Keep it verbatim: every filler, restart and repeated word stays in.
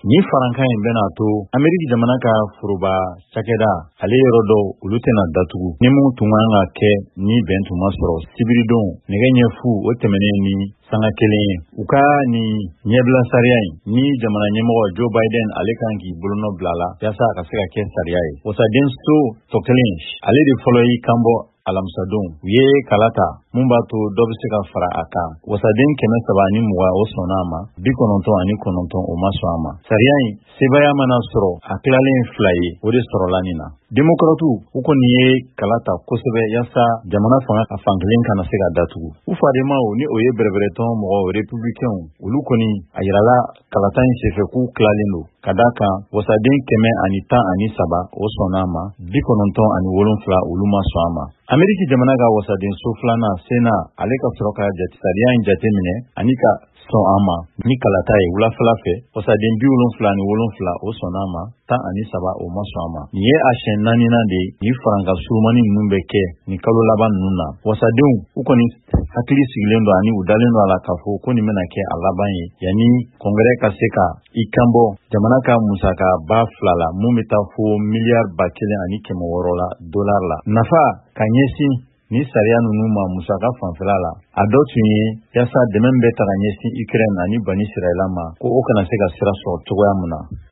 Ni farankan in bɛna to Ameriki jamana ka foroba cakɛda ale yɔrɔ dɔw, olu tɛna datugu ni mun tun kan ka kɛ ni bɛn tun ma sɔrɔ sibiridon nɛgɛ ɲɛ fu o tɛmɛnen ni sanga kelen ye. U ka nin ɲɛbila sariya in ni jamana ɲɛmɔgɔ Joe Biden ale kan k'i bolonɔ bila la yaasa a ka se ka kɛ sariya ye. Wasaden so tɔ kelen, ale de fɔlɔ y'i kanbɔ alamisadon. U ye kala ta mun b'a to dɔ bɛ se ka fara a kan. Wasaden kɛmɛ saba ani mugan, o sɔnna a ma, bi kɔnɔntɔn ani kɔnɔntɔn, o ma sɔn a ma. Sariya in sebaaya mana sɔrɔ, a tilalen fila ye, o de sɔrɔla nin na. Demokratiw, u kɔni ye kala ta kosɛbɛ yaasa jamana fanga a fankelen kana se ka datugu. U fadenmaw, ni o ye bɛrɛbɛrɛtɔn mɔgɔw, Républicainw, olu kɔni a yirala kalata in senfɛ k'u tilalen don, ka da kan wasaden kɛmɛ ani tan ani saba, o sɔnna a ma, bi kɔnɔntɔn ani wolonfila, olu ma sɔn a ma. Ameriki jamana ka wasaden so filanan, Sénat, ale ka sɔrɔ ka sariya in jate minɛ ani ka sɔn a ma ni kalata ye wulafɛla fɛ. Wasaden bi wolonfila ani wolonfila, o sɔnna a ma, tan ani saba, o ma sɔn a ma. Nin ye a siɲɛ naaninan de ye nin farankan surumani ninnu bɛ kɛ nin kalo laban ninnu na. Wasadenw, u kɔni hakili sigilen don ani u dalen don a la k'a fɔ ko nin bɛna kɛ a laban ye yanni Congrès ka se ka i kanbɔ jamana ka musaka ba fila la, mun bɛ taa fo miliyari ba kelen ani kɛmɛ wɔɔrɔ la dolari la. Nafa ka ɲɛsin ni sariya ninnu ma musaka fanfɛla la, a dɔ tun ye yaasa dɛmɛ bɛ ta ka ɲɛsin Ukraine ani Bani Sirayila ma, ko o kana se ka sira sɔrɔ cogoya min na.